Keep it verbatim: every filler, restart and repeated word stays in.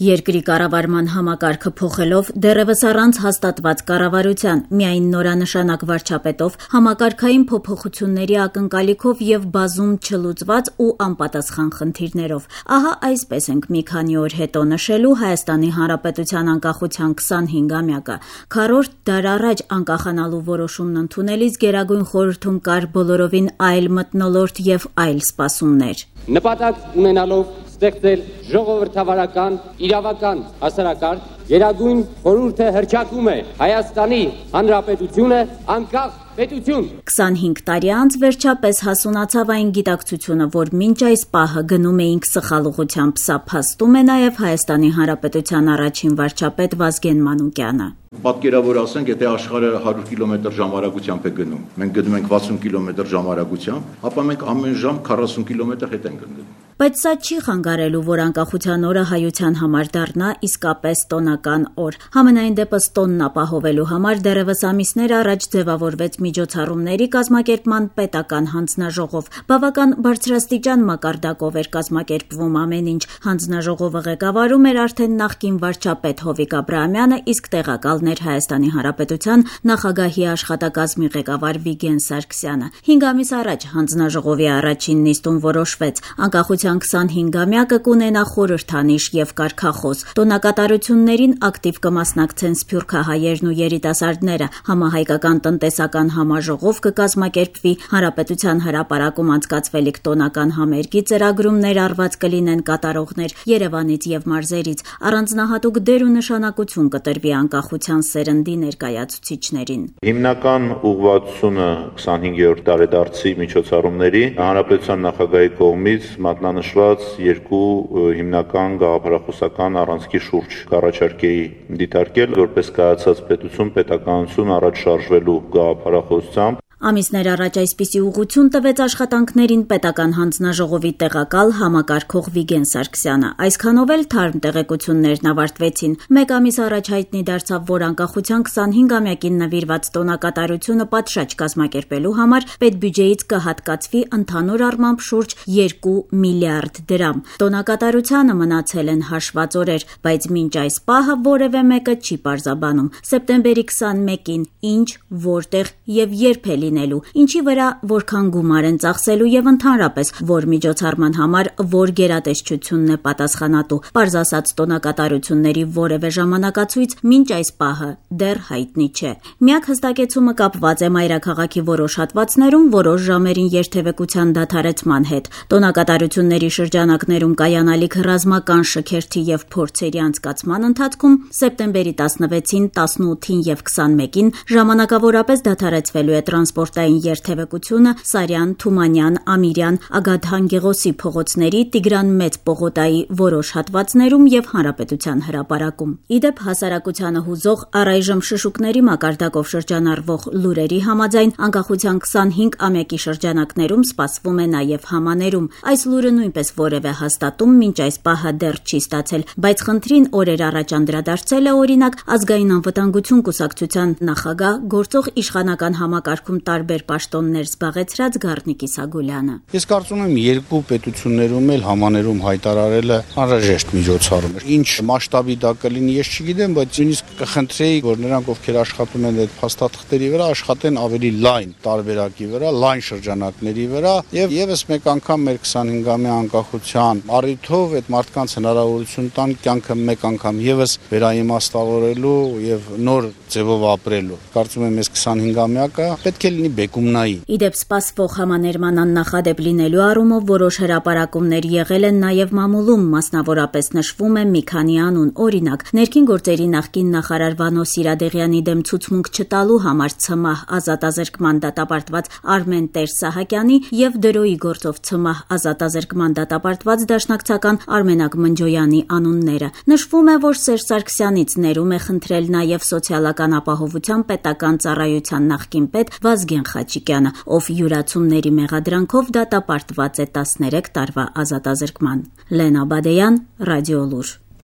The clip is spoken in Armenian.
Երկրի կառավարման համակարգը փոխելով, դեռևս առանց հաստատված կառավարության, միայն նորանշանակ վարչապետով, համակարգային փոփոխությունների ակնկալիքով եւ բազում չլուծված ու անպատասխան խնդիրներով։ Ահա այսպես ենք մի քանի օր հետո նշելու Հայաստանի Հանրապետության անկախության քսանհինգամյակը։ Քառորդ դար առաջ անկախանալու որոշումն ընդունելիս Գերագույն խորհրդում կար բոլորովին այլ մթնոլորտ եւ այլ սպասումներ։ Նպատակ ունենալով ստեղծել ժողովրդավարական իրավական հասարակարգ, Գերագույն խորհուրդը հռչակում է Հայաստանի Հանրապետությունը անկախ պետություն։ քսանհինգ տարի անց վերջապես հասունացավ այն գիտակցությունը, որ մինչ այս պահը գնում էինք սխալ ուղղությամբ, սա փաստում է նաև Հայաստանի Հանրապետության առաջին վարչապետ Վազգեն Մանուկյանը։ Պատկերավոր ասենք, եթե աշխարհը հարյուր կիլոմետր ժամարագությամբ է գնում, մենք գնում ենք վաթսուն կիլոմետր ժամարագությամբ, ապա մենք ամեն ժամ քառասուն կիլոմետր հետ ենք գնում։ Բայց սա չի խանգարելու, որ անկախության օրը հայության համար դառնա իսկապես տոնական օր։ Համենայն դեպս տոնն ապահովելու համար դեռևս ամիսներ առաջ ձևավորվեց միջոցառումների կազմակերպման պետական հանձնաժողով։ Բավական բարձրաստիճան մակարդակով էր կազմակերպվում ամեն ինչ։ Հանձնաժողովը ղեկավարում էր արդեն նախկին վարչապետ Հովիկ Աբրահամյանը, իսկ տեղակալներ Հայաստանի Հանրապետության նախագահի աշխատակազմի ղեկավար Վիգեն Սարգսյանը։ Հինգ ամիս առաջ հանձնաժողովի առաջին նիստում որոշվեց անկախության քսանհինգամյակը կունենա խորհրդանիշ եւ կարգախոս։ Տոնակատարություններին ակտիվ կմասնակցեն սփյուռքահայերն ու երիտասարդները։ Համահայկական տնտեսական համաժողով կկազմակերպվի, Հանրապետության հրապարակում անցկացվելիք տոնական համերգի ծրագրումներ արված կլինեն կատարողներ Երևանից եւ մարզերից։ Առանձնահատուկ դեր ու նշանակություն կտրվի անկախության սերնդի ներկայացուցիչներին։ Հիմնական ուղղվածությունը քսանհինգերորդ տարեդարձի միջոցառումների Հանրապետության նախագահի կողմից մատնանշված երկու հիմնական գաղափարախոսական առանցքի շուրջ կառաջարկեի դիտարկել, որպես կայացած պետություն պետականություն առաջ շարժվելու գաղափարախոսությամբ։ Ամիսներ առաջ այսպիսի ուղղություն տվեց աշխատանքներին պետական հանձնաժողովի տեղակալ համակարգող Վիգեն Սարգսյանը։ Այսքանով էլ թարմ տեղեկություններն ավարտվեցին։ Մեկ ամիս առաջ հայտնի դարձավ, որ անկախության քսանհինգամյակին նվիրված տոնակատարությունը պատշաճ կազմակերպելու համար պետբյուջեից կհատկացվի ընդհանուր առմամբ շուրջ երկու միլիարդ դրամ։ Տոնակատարությանը մնացել են հաշված օրեր, բայց մինչ այս պահը որևէ մեկը չի պարզաբանում։ Սեպտեմբերի քսանմեկին ինչ, որտեղ եւ երբ է լինելու, ինչի վրա որքան գումար են ծախսելու եւ ընդհանրապես որ միջոցառման համար որ գերատեսչությունն է պատասխանատու։ Պարզ ասած տոնակատարությունների որևէ ժամանակացույց մինչ այս պահը դեռ հայտնի չէ։ Միակ հստակեցումը կապված է մայրաքաղաքի որոշ հատվածներում որոշ ժամերին երթևեկության դադարեցման հետ։ Տոնակատարությունների շրջանակներում կայանալիք ռազմական շքերթի եւ փորձերի անցկացման ընթացքում սեպտեմբերի տասնվեցին, տասնութին եւ քսանմեկին ժամանակավորապես դադարեցվելու է տրանսպորտային երթևեկությունը Սարյան, Թումանյան, Ամիրյան, Ագաթան Գեղոսի փողոցների, Տիգրան Մեծ պողոտայի որոշ հատվածներում եւ Հանրապետության հրապարակում։ Իդեպ հասարակությանը հուզող առայժմ շշուկների մակարդակով շրջանառվող լուրերի համաձայն անկախության քսանհինգամյակի շրջանակներում սպասվում է նաեւ համաներում։ Այս լուրը նույնպես որևէ հաստատում մինչ այս պահը դեռ չի ստացել, բայց խնդրին օրեր առաջ անդրադարձել է օրինակ ազգային անվտանգություն կուսակցության նախագահ գործող իշխանական համակարգում տարբեր պաշտոններ զբաղեցրած Գառնիկ Իսագուլյանը։ Ես կարծում եմ երկու պետություններում էլ համաներում հայտարարելը անհրաժեշտ միջոցառում է։ Ինչ մասշտաբի դա կլինի, ես չգիտեմ, բայց նույնիսկ կխնդրեի, որ նրանք, ովքեր աշխատում են այդ փաստաթղթերի վրա, աշխատեն ավելի լայն տարբերակի վրա, լայն շրջանակների վրա եւ եւս մեկ անգամ մեր քսանհինգամյա անկախության առիթով այդ մարդկանց հնարավորություն տան կյանքը մեկ անգամ եւս վերաիմաստավորելու եւ նոր ձևով ապրելու։ Կարծում եմ, այս քսանհինգամյակը պետք է լինի բեկումնայի։ Իդեպ սպասվող համաներման աննախադեպ լինելու առումով որոշ հրապարակումներ եղել են նաև մամուլում, մասնավորապես նշվում է մի քանի անուն, օրինակ ներքին գործերի նախկին նախարար Վանո Սիրադեղյանի դեմ ցուցմունք չտալու համար ՑՄՀ ազատազրկման դատապարտված Արմեն Տեր-Սահակյանի եւ դրոյի գործով ՑՄՀ ազատազրկման դատապարտված դաշնակցական Արմենակ Մնջոյանի անունները։ Նշվում է, որ Սերժ Սարգսյանից ներում է խնդրել նաև սոցիալական ապահովության պետական ծառայության նախկին պետ Վազգեն Խաչիկյանը, ով յուրացումների մեղադրանքով դատապարտված է տասներեք տարվա ազատազրկման։ Լենա Բադեյան, Ռադիոլուր։